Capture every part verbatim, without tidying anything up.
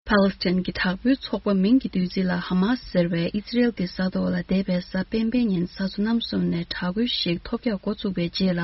ཕཱ་ལེ་སི་ཐན་གྱི་དྲག་པོའི་ཚོགས་པ་མིང་གི་བཏོན་རྩིས་ལ་ཧ་མ་སི་ཟེར་བས་ཨི་ཟི་རེལ་གྱི་ས་ཐོག་ལ་འདས་པའི་གཟའ་སྤེན་པའི་ཉིན་ས་མཚོ་གནམ་གསུམ་ནས་དྲག་རྒོལ་ཞིག་ཐོལ་རྒྱག་འགོ་བཙུགས་པའི་རྗེས་ལ།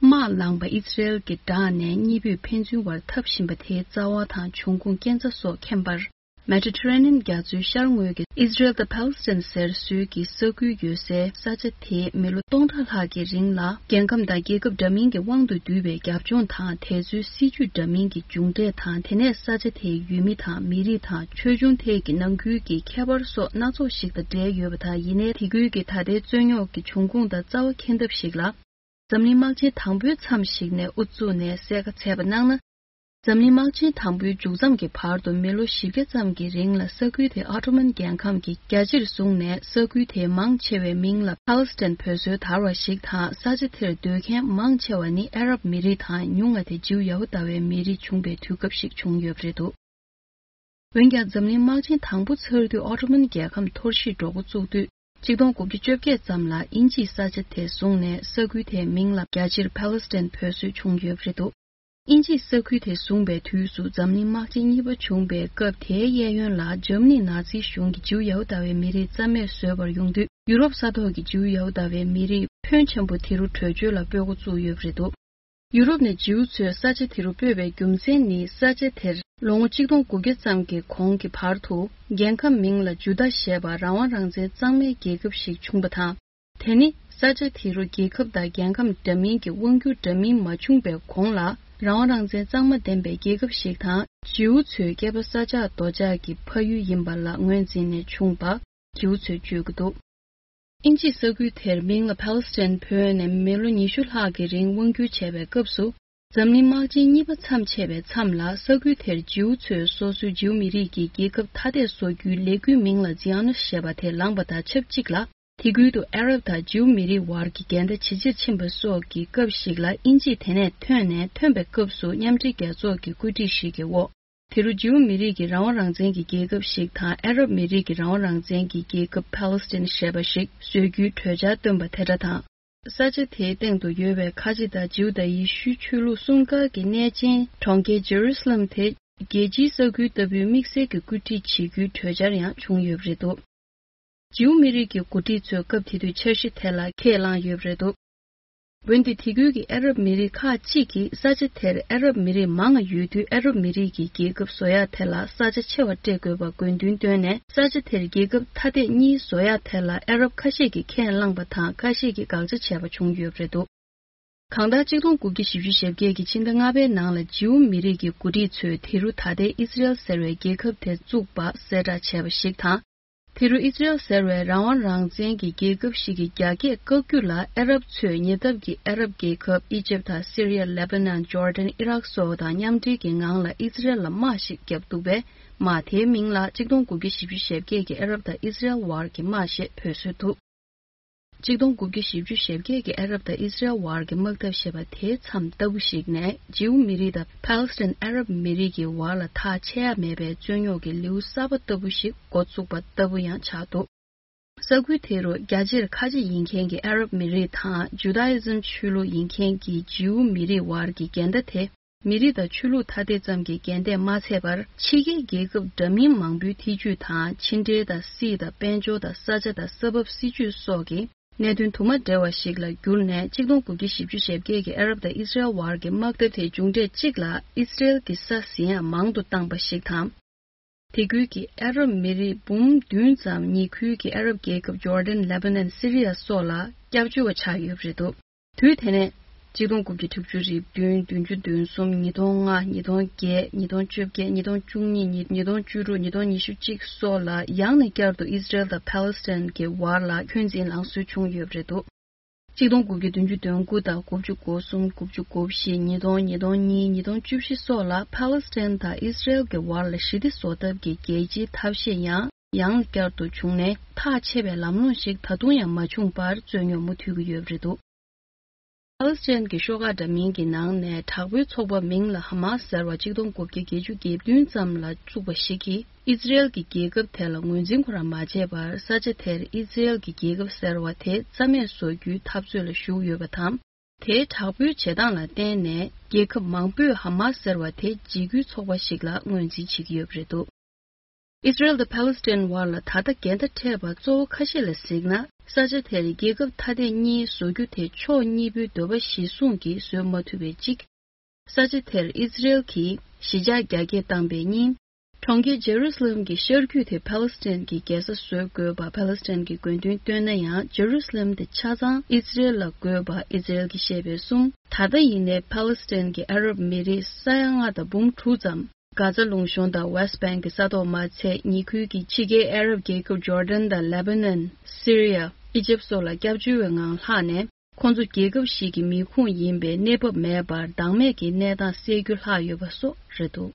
དམག་ལངས་པ་ཨི་ཟི་རེལ་གྱི་དྲག་ནས་གཉིས་པོས་ཕན་ཚུན་བར་འཐབ་བཞིན་པ་དེའི་རྩ་བ་དང་འབྱུང་ཁུངས་རྐྱེན་རྩ་སོགས་མཁྱེན་པར། མེ་ཌི་ཊ་རེ་ནི་ཡན་རྒྱ་མཚོའི་ཤར་ངོས་ཀྱི་ཨི་ཟི་རེལ་དང་ཕཱ་ལེ་སི་ཐན་ཟེར་སྲོལ་གྱི་ས་ཁུལ་ཡོད་སའི་ས་ཆ་དེའི་མི་ལོ་སྟོང་ཕྲག་ལྷག་གི་རིང་ལ་རྒྱལ་ཁམས་དང་རྒྱལ་ཁབ་འདྲ་མིན་གྱི་དབང་དུ་བསྡུས་པའི་རྒྱབ་ལྗོངས་དང་། དེ་ཚོའི་སྲིད་ཇུས་འདྲ་མིན་གྱི་མཇུག་འབྲས་དང་། དེ་ནས་ས་ཆ་དེའི་ཡུལ་མི་དང་མི་རིགས་དང་ཆོས་འབྱུང་ཐད་ཀྱི་ནང་ཁུལ་གྱི་ཁྱད་པར་སོགས་སྣ་ཚོགས་ཤིག་དང་འབྲེལ་ཡོད་པ་དང་། ཡིན་ནའི་དེ་ཁུལ་གྱི་ད་ལྟའི་རྩོད་རྙོག་གི་འབྱུང་ཁུངས་དང་རྩ་བ་མཁྱེན་ཐབས་ཤིག་ལ། འཛམ་གླིང་དམག་ཆེན་དང་པོའི་མཚམས་ཤིག་ནས་དབུ་བཙུགས་ནས་གསལ་ཁ་འཚལ་བ་གནང་ན། འཛམ་གླིང་དམག་ཆེན་དང་པོའི་མཇུག་མཚམས་ཀྱི་བར་དུ་མི་ལོ་བཞི་བརྒྱ་ཙམ་གྱི་རིང་ལ་ས་ཁུལ་དེ་ཨོ་ཏོ་མན་རྒྱལ་ཁམས་ཀྱིས་རྒྱ་ཆེར་བཟུང་ནས། ས་ཁུལ་དེའི་མང་ཆེ་བའི་མིང་ལ་ཕཱ་ལེ་སི་ཐན་འབོད་སྲོལ་དར་བ་ཞིག་དང་། ས་ཆ་དེར་སྡོད་མཁན་མང་ཆེ་བ་ནི་ཨ་རབ་མི་རིགས་དང་། ཉུང་ང་དེ་ཇིའུ་ཡ་ཧུ་དཱ་བའི་མི་རིགས་བྱུང་པའི་དུས་སྐབས་ཤིག་བྱུང་ཡོད་པ་རེད་འདུག་འོན་ཀྱང་། འཛམ་གླིང་དམག་ཆེན་དང་པོ་ཚར་དུས་ཨོ་ཏོ་མན་རྒྱལ་ཁམས་འཐོར་ཞིག་འགྲོ་འགོ་བཙུགས་དུས། ཆིག་སྟོང་དགུ་བརྒྱ་བཅོ་བརྒྱད་ཙམ་ལ་དབྱིན་ཇིས་ས་ཆ་དེ་བཟུང་ནས། ས་ཁུལ་དེའི་མིང་ལ་རྒྱ་ཆེར་ཕཱ་ལེ་སི་ཐན་འབོད་སྲོལ་བྱུང་ཡོད་པ་རེད་འདུག་དབྱིན་ཇིས་ས་ཁུལ་དེ་བཟུང་པའི་དུས་སུ། འཛམ་གླིང་དམག་ཆེན་གཉིས་པ་བྱུང་པའི་སྐབས་དེའི་གཡས་གཡོན་ལ་འཇར་མ་ནིའི་ནཱ་ཛི་གཞུང་གིས་ཇིའུ་ཡ་ཧུ་དཱ་བའི་མི་རིགས་རྩ་མེད་བཟོས་པར་ཡོང་དུས། ཡུ་རོབ་ས་ཐོག་གི་ཇིའུ་ཡ་ཧུ་དཱ་བའི་མི་རིགས་ཕོན་ཆེན་པོ་དེ་རུ་བྲོས་བྱོལ་ལ་སྤོས་འགོ་བཙུགས་ཡོད་པ་རེད་འདུག་ཡུ་རོབ་ནས་ཇིའུ་ཚོས་ས་ཆ་དེ་རུ་སྤོས་པའི་རྒྱུ་མཚན་ནི། ས་ཆ་དེར་ལོ་ངོ་ཆིག་སྟོང་དགུ་བརྒྱ་ཙམ་གྱི་གོང་གི་བར་དུ། རྒྱལ་ཁམས་མིང་ལ་ཇུ་དཱ་ཞེས་པ་རང་དབང་རང་བཙན་གཙང་མའི་རྒྱལ་ཁབ་ཞིག་བྱུང་བ་དང་། དེ་ནི་ས་ཆ་དེ་རུ་རྒྱལ་ཁབ་དང་རྒྱལ་ཁམས་འདྲ་མིན་གྱི་དབང་སྒྱུར་འདྲ་མིན་མ་བྱུང་པའི་གོང་ལ། རང་དབང་རང་བཙན་གཙང་མ་ལྡན་པའི་རྒྱལ་ཁབ་ཞིག་དང་། ཇིའུ་ཚོའི་སྐྱེས་པ་ས་ཆགས་རྡོ་ཆགས་ཀྱི་ཕ་ཡུལ་ཡིན་པ་ལ་ངོས་འཛིན་ནས་བྱུང་བ། ཇིའུ་ཚོས་བརྗོད་ཀྱི་འདུག་དབྱིན་ཇིས་ས་ཁུལ་དེར་མིང་ལ་ཕཱ་ལེ་སི་ཐན་བོས་ནས་མི་ལོ་ཉི་ཤུ་ལྷག་གི་རིང་དབང་སྒྱུར་བྱས་པའི་སྐབས་སུ། འཛམ་གླིང་དམག་ཆེན་གཉིས་པ་མཚམས་ཆད་པའི་མཚམས་ལ། ས་ཁུལ་དེར་ཇིའུ་ཚོས་སོ་སོའི་ཇིའུ་མི་རིགས་ཀྱི་རྒྱལ་ཁབ་ཐ་དད་བཟོ་རྒྱུའི་ལས་འགུལ་མིང་ལ་ཛི་ཨོ་ནིསྟ་ཞེས་པ་དེ་ལངས་པ་དང་ཆབས་ཅིག་ལ། དེ་ཁུལ་དུ་ཨ་རབ་དང་ཇིའུ་མི་རིགས་བར་གྱི་འགལ་ཟླ་ཇེ་ཆེར་ཕྱིན་པ་སོགས་ཀྱི་སྐབས་ཤིག་ལ། དབྱིན་ཇིས་དེ་ནས་ཐོན་ནས། ཐོན་པའི་སྐབས་སུ་མཉམ་འབྲེལ་རྒྱལ་ཚོགས་ཀྱི་བཀོད་སྒྲིག་ཞིག་གི་འོག་དེ་རུ་ཇིའུ་མི་རིགས་ཀྱི་རང་དབང་རང་བཙན་གྱི་རྒྱལ་ཁབ་ཞིག་དང་། ཨ་རབ་མི་རིགས་ཀྱི་རང་དབང་རང་བཙན་གྱི་རྒྱལ་ཁབ་ཕཱ་ལེ་སི་ཐན་ཞེས་པ་ཞིག་བཟོ་རྒྱུའི་གྲོས་འཆར་བཏོན་པ་དེ་འདྲ་དང་། ས་ཆ་དེའི་སྟེང་དུ་ཡོད་པའི་ཁ་ཆེ་དང་ཇིའུ་དང་ཡེ་ཤུའི་ཆོས་ལུགས་སྲུང་སྐར་གྱི་གནས་ཆེན་གྲོང་ཁྱེར་ཇེ་རུ་སི་ལམ་དེ་རྒྱལ་སྤྱིའི་ས་ཁུལ་ལྟ་བུའི་དམིགས་བསལ་གྱི་བཀོད་སྒྲིག་བྱེད་རྒྱུའི་གྲོས་འཆར་ཡང་བྱུང་ཡོད་པ་རེད་འདུག་ཇིའུ་མི་རིགས་ཀྱི་འགོ་ཁྲིད་ཚོས་སྐབས་དེ་དུས་འཆར་གཞི་དེ་ལ་ཁས་བླངས་ཡོད་པ་རེད་འདུག་འོན་ཏེ་དེ་ཁུལ་གྱི་ཨ་རབ་མི་རིགས་ཁག་ཅིག་གིས་ས་ཆ་དེར་ཨ་རབ་མི་རིགས་མང་ང་ཡོད་དུས། ཨ་རབ་མི་རིགས་ཀྱི་རྒྱལ་ཁབ་བཟོ་ཡག་དེ་ལ་ས་ཆ་ཆེ་བ་སྤྲད་དགོས་པ་དགོས་འདུན་བཏོན་ནས། ས་ཆ་དེར་རྒྱལ་ཁབ་ཐ་དད་གཉིས་བཟོ་ཡག་དེ་ལ་ཨ་རབ་ཁ་ཤས་ཀྱིས་ཁས་བླངས་པ་དང་། ཁ་ཤས་ཀྱིས་དགག་བྱ་བྱས་པ་བྱུང་ཡོད་པ་རེད་འདུག་གང་ལྟར། ཆིག་སྟོང་དགུ་བརྒྱ་བཞི་བཅུ་ཞེ་བརྒྱད་ཀྱི་ཕྱི་ཟླ་ལྔ་པའི་ནང་ལ་ཇིའུ་མི་རིགས་ཀྱི་འགོ་ཁྲིད་ཚོས་དེ་རུ་ད་ལྟའི་ཨི་ཟི་རེལ་ཟེར་བའི་རྒྱལ་ཁབ་དེ་བཙུགས་པ་གསལ་བསྒྲགས་བྱས་པ་ཞིག་དང་། དེ་རུ་ཨི་ཟི་རེལ་ཟེར་བའི་རང་དབང་རང་བཙན་གྱི་རྒྱལ་ཁབ་ཞིག་གི་རྒྱ་སྐྱེད་བཀག་རྒྱུ་ལ། ཨ་རབ་ཚོས་ཉེ་འདབས་ཀྱི་ཨ་རབ་རྒྱལ་ཁབ་ཨི་ཇེབ་དང་སི་རི་ཡ། ལེ་བྷ་ནན། ཇོར་ཌན། ཨི་རག་སོགས་དང་མཉམ་འབྲེལ་གྱི་ངང་ལ་ཨི་ཟི་རེལ་ལ་དམག་ཞིག་བརྒྱབ་འདུག་པས། དམག་དེའི་མིང་ལ་ཆིག་སྟོང་དགུ་བརྒྱ་བཞི་བཅུ་ཞེ་བརྒྱད་ཀྱི་ཨ་རབ་དང་ཨི་ཟི་རེལ་བར་གྱི་དམག་ཞེས་འབོད་སྲོལ་འདུག་ཆིག་སྟོང་དགུ་བརྒྱ་བཞི་བཅུ་ཞེ་བརྒྱད་ཀྱི་ཨ་རབ་དང་ཨི་ཟི་རེལ་བར་གྱི་དམག་འཐབ་ཞེས་པ་དེའི་མཚམས་ལྟ་བུ་ཞིག་ནས། ཇིའུ་མི་རིགས་དང་ཕཱ་ལེ་སི་ཐན་ཨ་རབ་མི་རིགས་ཀྱི་བར་ལ་ཐག་ཆད་ཡ་མེད་པའི་རྩོད་རྙོག་གི་ལེའུ་གསར་པ་ལྟ་བུ་ཞིག་འགོ་བཙུགས་པ་ལྟ་བུ་ཡང་ཆགས་འདུག་ས་ཁུལ་དེ་རུ་རྒྱ་ཆེར་ཁ་ཆེ་ཡིན་མཁན་གྱི་ཨ་རབ་མི་རིགས་དང་། ཇུ་དཱ་ཨི་ཛམ་ཆོས་ལུགས་ཡིན་མཁན་གྱི་ཇིའུ་མི་རིགས་བར་གྱི་འགལ་ཟླ་དེ། མི་རིགས་དང་ཆོས་ལུགས་ཐ་དད་ཙམ་གྱི་འགལ་ཟླས་མ་ཚད་པར། ཕྱི་རྒྱལ་རྒྱལ་ཁབ་འདྲ་མིན་མང་པོའི་ཐེ་ཇུས་དང་། ཕྱི་འབྲེལ་དང་། སྲིད་དང་། དཔལ་འབྱོར་དང་། ས་ཆ་དང་། ས་བབ། སྲིད་ཇུས་སོགས་ཀྱི་གནད་དོན་དུ་མ་འབྲེལ་བ་ཞིག་ལ་གྱུར་ནས། ཆིག་སྟོང་དགུ་བརྒྱ་བཞི་བཅུ་ཞེ་བརྒྱད་ཀྱི་ཨ་རབ་དང་ཨི་ཟི་རེལ་བར་གྱི་དམག་འཐབ་དེའི་མཇུག་འབྲས་གཅིག་ལ་ཨི་ཟི་རེལ་གྱི་ས་ཟིན་ཡང་མང་དུ་བཏང་པ་ཞིག་དང་། དེ་ཁུལ་གྱི་ཨ་རབ་མི་རིགས་འབུམ་བདུན་ཙམ་ཉེ་ཁུལ་གྱི་ཨ་རབ་རྒྱལ་ཁབ་ཇོར་ཌན། ལེ་བྷ་ནན། སི་རི་ཡ་སོགས་ལ་སྐྱབས་བཅོལ་བ་ཆགས་ཡོད་པ་རེད་འདུག་དུས་དེ་ནས་ཆིག་སྟོང་དགུ་བརྒྱ་དྲུག་ཅུ་རེ་བདུན། བདུན་ཅུ་དོན་གསུམ། ཉིས་སྟོང་ལྔ། ཉིས་སྟོང་བརྒྱད། ཉིས་སྟོང་བཅོ་བརྒྱད། ཉིས་སྟོང་བཅུ་གཉིས། ཉིས་སྟོང་བཅུ་དྲུག། ཉིས་སྟོང་ཉི་ཤུ་གཅིག་སོགས་ལ་ཡང་ནས་བསྐྱར་དུ་ཨི་ཟི་རེལ་དང་ཕཱ་ལེ་སི་ཐན་གྱི་བར་ལ་འཁོན་འཛིན་ལངས་སྲོལ་བྱུང་ཡོད་པ་རེད་འདུག་ཆིག་སྟོང་དགུ་བརྒྱ་བདུན་ཅུ་དོན་དགུ་དང་དགུ་བཅུ་གོ་གསུམ། དགུ་བཅུ་གོ་བཞི། ཉིས་སྟོང་། ཉིས་སྟོང་གཉིས། ཉིས་སྟོང་བཅུ་བཞི་སོགས་ལ་ཕཱ་ལེ་སི་ཐན་དང་ཨི་ཟི་རེལ་གྱི་བར་ལ་ཞི་བདེ་བཟོ་ཐབས་ཀྱི་རྒྱལ་སྤྱིའི་ཐབས་ཤེས་ཡང་ཡང་བསྐྱར་དུ་བྱུང་ནས། ཐག་ཆད་པའི་ལམ་ལྷོང་ཞིག་ད་དུང་ཡང་མ་བྱུང་བར་རྩོད་རྙོག་མུ་མཐུད་ཀྱི་ཡོད་པ་རེད་འདུག་ཕཱ་ལེ་སི་ཐན་གྱི་ཤོག་ཁག་འདྲ་མིན་གྱི་ནང་ནས་དྲག་པོའི་ཚོགས་པ་མིང་ལ་ཧ་མ་སི་ཟེར་བ་ཆིག་སྟོང་དགུ་བརྒྱ་བརྒྱད་ཅུ་གྱ་བདུན་ཙམ་ལ་བཙུགས་པ་ཞིག་གིས་ཨི་ཟི་རེལ་གྱི་རྒྱལ་ཁབ་དེ་ལ་ངོས་འཛིན་ཁོ་རང་མ་བྱས་པར། ས་ཆ་དེར་ཨི་ཟི་རེལ་གྱི་རྒྱལ་ཁབ་ཟེར་བ་དེ་རྩ་མེད་བཟོ་རྒྱུའི་འཐབ་རྩོད་ལ་ཞུགས་ཡོད་པ་དང་། དེའི་དྲག་པོའི་བྱེད་སྟངས་ལ་བརྟེན་ནས་རྒྱལ་ཁབ་མང་པོས་ཧ་མ་སི་ཟེར་བ་དེ་འཇིགས་སྐུལ་ཚོགས་པ་ཞིག་ལ་ངོས་འཛིན་བྱེད་ཀྱི་ཡོད་པ་རེད་འདུག་ཨི་སི་རེལ་དང་ཕཱ་ལེ་སི་ཐན་བར་ལ་ད་ལྟ་འགལ་ཟླ་འཕྲད་པ་གཙོ་བོ་ཁ་ཤས་ལ་གཟིགས་ན། ས་ཆ་དེར་རྒྱལ་ཁབ་ཐ་དད་གཉིས་བཟོ་རྒྱུ་དེ་ཕྱོགས་གཉིས་པོའི་འདོད་པ་གཞིར་བཟུང་གིས་བཟོས་མ་ཐུབ་པའི་གཅིག་ས་ཆ་དེར་ཨི་སི་རེལ་གྱིས་གཞིས་ཆགས་རྒྱ་སྐྱེད་བཏང་པའི་གཉིས། གྲོང་ཁྱེར་ཇེ་རུ་སི་ལེམ་གྱི་ཤར་རྒྱུད་དེ་ཕཱ་ལེ་སི་ཐན་གྱི་རྒྱལ་ས་བཟོ་དགོས་པ་ཕཱ་ལེ་སི་ཐན་གྱི་དགོས་འདུན་བཏོན་ན་ཡང་། ཇེ་རུ་སི་ལེམ་དེ་ཆ་ཚང་ཨི་སི་རེལ་ལ་དགོས་པ་ཨི་སི་རེལ་གྱིས་བཤད་པའི་གསུམ། ད་ལྟ་ཡིན་ནའི་ཕཱ་ལེ་སི་ཐན་གྱི་ཨ་རབ་མི་རིགས་ས་ཡ་ལྔ་དང་འབུམ་དྲུག་ཙམ། གྷ་ཛ་ལུང་གཤོང་དང་ཝེ་སི་ཊི་བྷེང་གི་ས་ཐོག་མ་ཚད། ཉེ་ཁུལ་གྱི་ཕྱི་རྒྱལ་ཨ་རབ་རྒྱལ་ཁབ་ཇོར་ཌན་དང་ལེ་བྷ་ནན། སི་རི་ཡ། ཨི་ཇེབ་སོགས་ལ་སྐྱབས་བཅོལ་བའི་ངང་ལྷག་ནས། ཁོང་ཚོ་རྒྱལ་ཁབ་ཞིག་གི་མི་ཁུངས་ཡིན་པའི་གནས་བབ་མེད་པར་བདག་མེད་ཀྱི་གནས་སྟངས་སེལ་རྒྱུ་ལྷག་ཡོད་པ་སོགས་རེད་འདུག